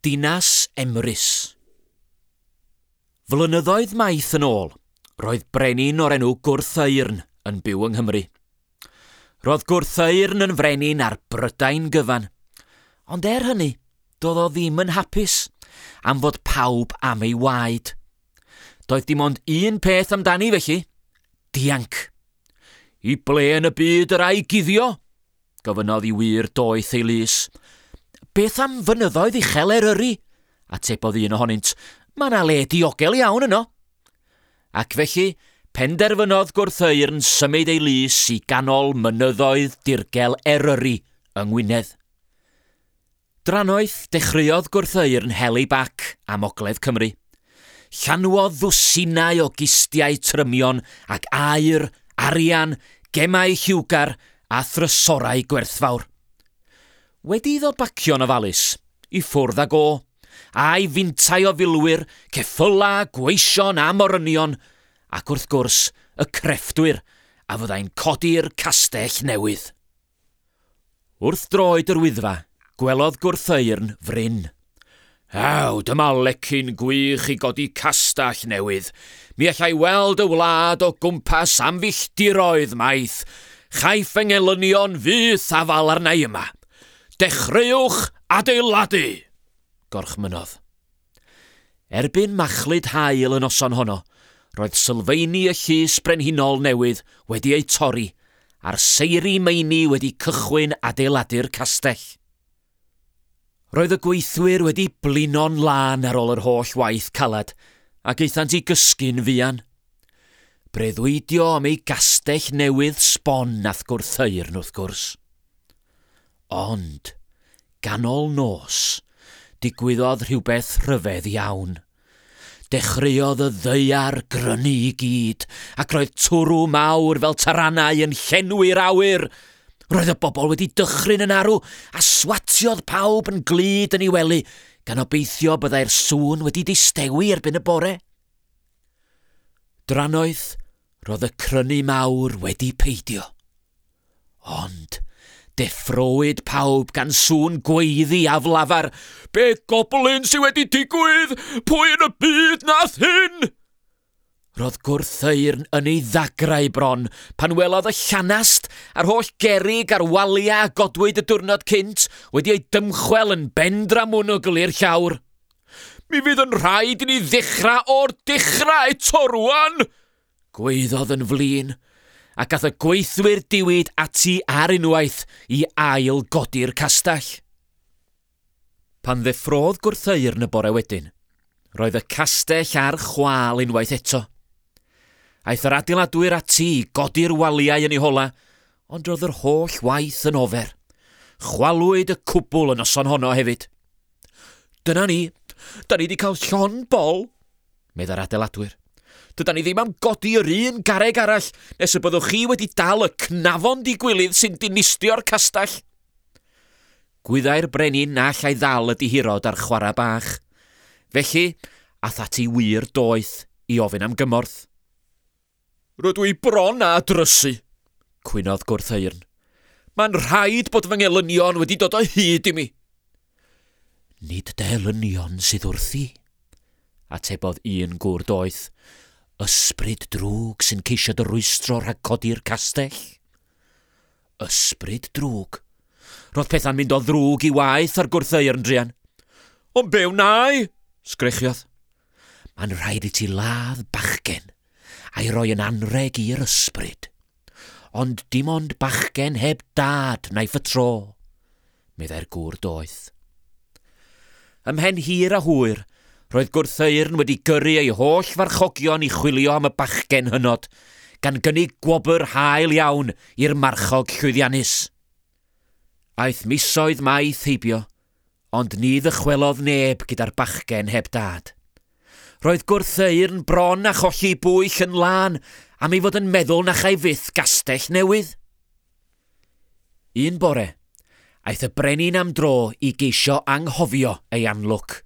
Dinas Emrys. Flynyddoedd maith yn ôl, roedd brenin o'r enw Gwrtheyrn yn byw yng Nghymru. Roedd Gwrtheyrn yn frenin ar Brydain gyfan. Ond er hynny, doedd o ddim yn hapus am fod pawb am ei waed. Doedd dim ond un peth amdani felly, dianc. I ble yn y byd yr ai guddio? Gofynnodd i wir doeth ei lys. Beth am fynyddoedd uchel Eryri? Atebodd un ohonynt. Mae 'na le diogel iawn yno. Ac felly, penderfynodd Gwrtheyrn symud ei lys i ganol mynyddoedd dirgel Eryri yng Ngwynedd. Drannoeth, dechreuodd Gwrtheyrn hel ei bac am ogledd Cymru. Llanwodd ddwsinau o gistiau trymion ag aur, arian, gemau lliwgar a thrysorau gwerthfawr. Wedi iddo bacio'n ofalus, i ffwrdd ag o, a'i fintai o filwyr, ceffylau, gweision a morynion, ac wrth gwrs, y crefftwyr a fyddai'n codi'r castell newydd. Wrth droed yr Wyddfa, gwelodd Gwrtheyrn fryn. Ew, dyma lecyn gwych i godi castell newydd. Mi allai weld y wlad o gwmpas am filltiroedd maith. Chaiff fy ngelynion fyth afal arna i yma. Dechreuwch adeiladu! gorchmynnodd. Erbyn machlud haul y noson honno, roedd sylfeini y llys brenhinol newydd wedi eu torri, a'r seiri meini wedi cychwyn adeiladu'r castell. Roedd y gweithwyr wedi blino'n lân ar ôl yr holl waith caled, ac aethant i gysgu'n fuan. Breuddwydio am ei gastell newydd sbon nath Gwrtheyrn, wrth gwrs. Ond, ganol nos, digwyddodd rhywbeth rhyfedd iawn. Dechreuodd y ddaear grynu i gyd, ac roedd twrw mawr fel taranau yn llenwi'r awyr. Roedd y bobl wedi dychryn yn arw, a swatiodd pawb yn glud yn ei wely, gan obeithio byddai'r sŵn wedi distewi erbyn y bore. Drannoeth, roedd y crynu mawr wedi peidio. Ond deffrowyd pawb gan sŵn gweiddi aflafar. Be goblin sydd wedi digwydd? Pwy yn y byd nath hyn? Roedd Gwrtheyrn yn ei ddagrau bron pan welodd y llanast a'r holl gerrig a'r waliau a godwyd y diwrnod cynt wedi eu dymchwel yn bendramwnwgl i'r llawr. Mi fydd yn rhaid i ni ddechrau o'r dechrau eto rwan! Gwaeddodd yn flin, ac ath y gweithwyr diwyd ati ar unwaith i ail godi'r castell. Pan ddeffrodd Gwrtheyrn y bore wedyn, roedd y castell ar chwâl unwaith eto. Aeth yr adeiladwyr ati i godi'r waliau yn ei hola, ond roedd yr holl waith yn ofer. Chwalwyd y cwbl y noson honno hefyd. Dyna ni, da ni wedi cael llond bol, meddai'r adeiladwyr. Dydan ni ddim am godi yr un garreg arall nes y byddwch chi wedi dal y cnafon digwilydd sy'n dinistrio'r castell. Gwyddai'r brenin na allai ddal y dihirod ar chwarae bach. Felly, ath ati wir doeth i ofyn am gymorth. Rydw i bron â drysu, cwynodd Gwrtheyrn. Mae'n rhaid bod fy ngelynion wedi dod o hyd i mi. Nid dy elynion sydd wrthi, atebodd un gŵr doeth. Ysbryd drwg sy'n ceisio dy rwystro rhag codi'r castell. Ysbryd drwg. Roedd pethau'n mynd o ddrwg i waeth ar Gwrtheyrn druan. Ond be wnai? sgrechiodd. Mae'n rhaid i ti ladd bachgen a'i roi yn anrheg i'r ysbryd. Ond dim ond bachgen heb dad wnaiff y tro, meddai'r gŵr doeth. Ymhen hir a hwyr, roedd Gwrtheyrn wedi gyrru ei holl farchogion i chwilio am y bachgen hynod, gan gynnig gwobr hael iawn i'r marchog llwyddiannus. Aeth misoedd maith heibio, Ond ni ddychwelodd neb gyda'r bachgen heb dad. Roedd Gwrtheyrn bron â cholli bwyll yn lân am ei fod yn meddwl na chai fyth gastell newydd. Un bore, aeth y brenin am dro i geisio anghofio ei anlwc.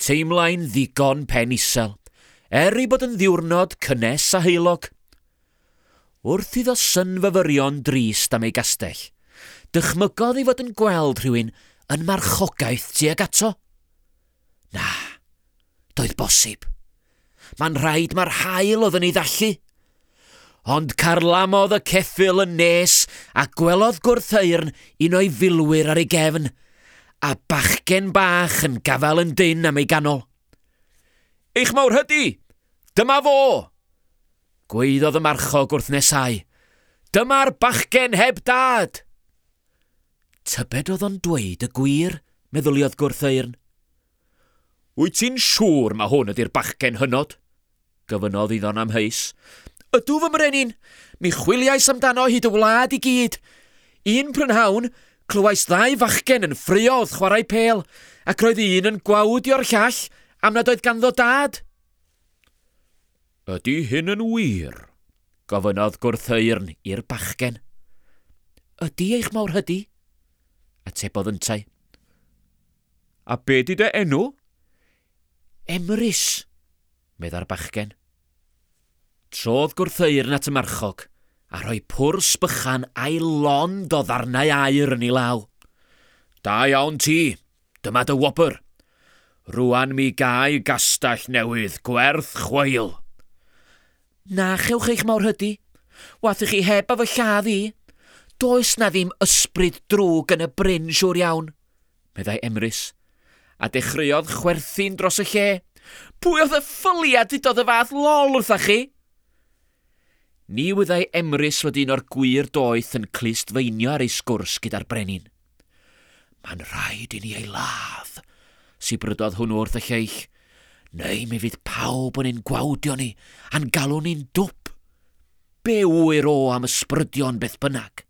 Teimlai'n ddigon pen isel, er ei bod yn ddiwrnod cynnes a heulog. Wrth iddo synfyfyrio'n drist am ei gastell, dychmygodd ei fod yn gweld rhywun yn marchogaeth tuag ato. Na, doedd bosib. Mae'n rhaid mae'r haul oedd yn ei ddallu. Ond carlamodd y ceffyl yn nes a gwelodd Gwrtheyrn un o'i filwyr ar ei gefn, a bachgen bach yn gafael yn dynn am ei ganol. Eich mawrhydi! Dyma fo! Gwaeddodd y marchog wrth nesau. Dyma'r bachgen heb dad! Tybed oedd o'n dweud y gwir, meddyliodd Gwrtheyrn. Wyt ti'n siŵr ma hwn ydy'r bachgen hynod? Gofynnodd iddo'n amheus. Ydw fy mrenin! Mi chwiliais amdano hyd y wlad i gyd. Un prynhawn, clywais ddau fachgen yn ffraeo wrth chwarae pêl, ac roedd un yn gwawdio'r llall am nad oedd ganddo dad. Ydy hyn yn wir? gofynnodd Gwrtheyrn i'r bachgen. Ydy eich mawrhydi? atebodd yntau. A be di dy enw? Emrys, meddai'r bachgen. Trodd Gwrtheyrn at y marchog a rhoi pwrs bychan a'i lond o ddarnau aur yn ei law. Da iawn ti, dyma dy wobr. Rwan mi gai gastell newydd gwerth chweil. Na chewch eich mawrhydi. Wath i chi heb a fy lladd i. Does na ddim ysbryd drwg yn y bryn siŵr iawn, meddai Emrys, a dechreuodd chwerthin dros y lle. Pwy oedd y ffyliad dudodd y fath lol wrtha chi? Ni wyddai Emrys fod un o'r gwir doeth yn clustfeinio ar ei sgwrs gyda'r brenin. Mae'n rhaid i ni ei ladd, sibrydodd hwnnw wrth y lleill, neu mi fydd pawb yn ein gwawdio ni a'n galw ni'n dwp. Be ŵyr o am ysbrydion beth bynnag?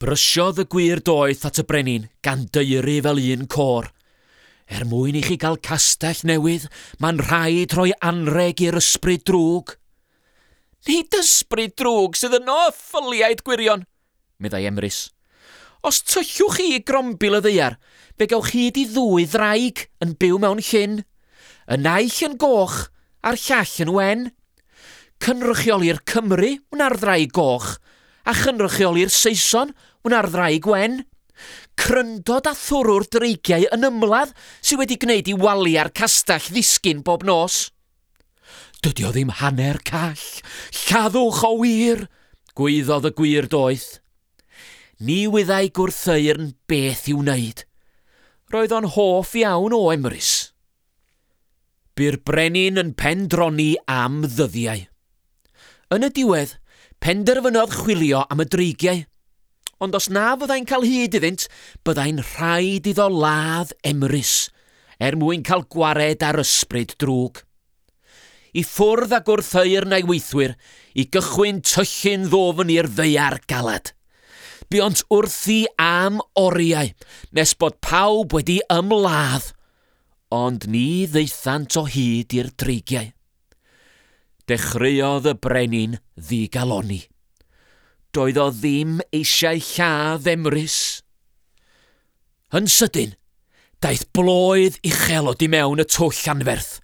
Brysiodd y gwir doeth at y brenin, gan daeru fel un côr. Er mwyn i chi gael castell newydd, mae'n rhaid rhoi anrheg i'r ysbryd drwg. Nid ysbryd drwg sydd yno, y ffyliaid gwirion, meddai Emrys. Os tyllwch chi i grombil y ddaear, fe gewch hyd i ddwy ddraig yn byw mewn llyn. Y naill yn goch a'r llall yn wen. Cynrychioli'r Cymry wna'r ddraig goch, a chynrychioli'r Saeson wna'r ddraig wen. Cryndod a thwrw'r dreigiau yn ymladd sydd wedi gwneud i waliau'r castell ddisgyn bob nos. Dydy o ddim hanner call. Lladdwch o wir! gwaeddodd y gwir doeth. Ni wyddai Gwrtheyrn beth i'w wneud. Roedd o'n hoff iawn o Emrys. Bu'r brenin yn pendroni am ddyddiau. Yn y diwedd, penderfynodd chwilio am y dreigiau. Ond os na fyddai'n cael hyd iddynt, byddai'n rhaid iddo ladd Emrys, er mwyn cael gwared ar ysbryd drwg. I ffwrdd â Gwrtheyrn a'i weithwyr i gychwyn tyllu'n ddwfn i'r ddaear galed. Buont wrthi am oriau, nes bod pawb wedi ymladd, ond ni ddaethant o hyd i'r dreigiau. Dechreuodd y brenin ddigalonni. Doedd o ddim eisiau lladd Emrys. Yn sydyn, daeth bloedd uchel o du mewn y twll anferth.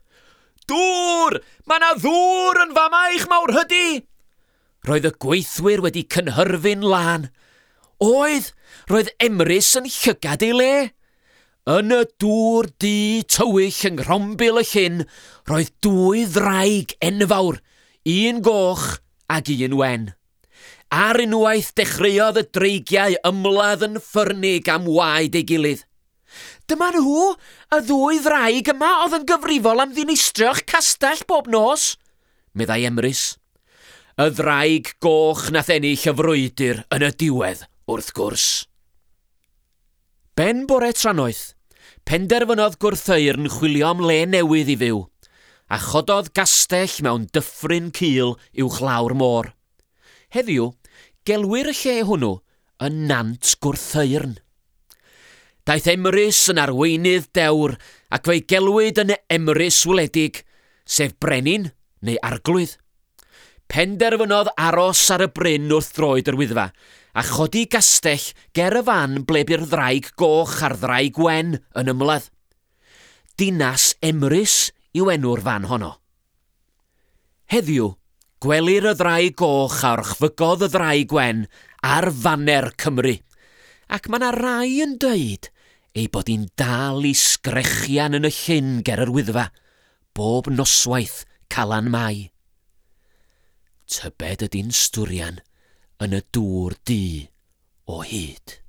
Dŵr! Mae 'na ddŵr yn fama eich mawrhydi! Roedd y gweithwyr wedi cynhyrfu'n lân. Oedd, roedd Emrys yn llygad ei le. Yn y dŵr du tywyll yng nghrombil y llyn, roedd dwy ddraig enfawr, un goch ac un wen. Ar unwaith dechreuodd y dreigiau ymladd yn ffyrnig am waed ei gilydd. Dyma nhw, y ddwy ddraig yma oedd yn gyfrifol am ddinistrio'ch castell bob nos, meddai Emrys. Y ddraig goch nath ennill y frwydr yn y diwedd, wrth gwrs. Ben bore trannoeth, penderfynodd Gwrtheyrn chwilio am le newydd i fyw, a chododd gastell mewn dyffryn cul uwchlaw'r môr. Heddiw, gelwir y lle hwnnw yn Nant Gwrtheyrn. Daeth Emrys yn arweinydd dewr ac fe'i gelwid yn Emrys Wledig, sef brenin neu arglwydd. Penderfynodd aros ar y bryn wrth droed yr Wyddfa, a chodi gastell ger y fan ble bu'r ddraig goch a'r ddraig wen yn ymladd. Dinas Emrys yw enw'r fan honno. Heddiw, gwelir y ddraig goch a orchfygodd y ddraig wen ar faner Cymru, ac mae 'na rai yn dweud ei bod hi'n dal i sgrechian yn y llyn ger yr Wyddfa, bob noswaith Calan Mai. Tybed ydy'n stwrian yn y dŵr du o hyd.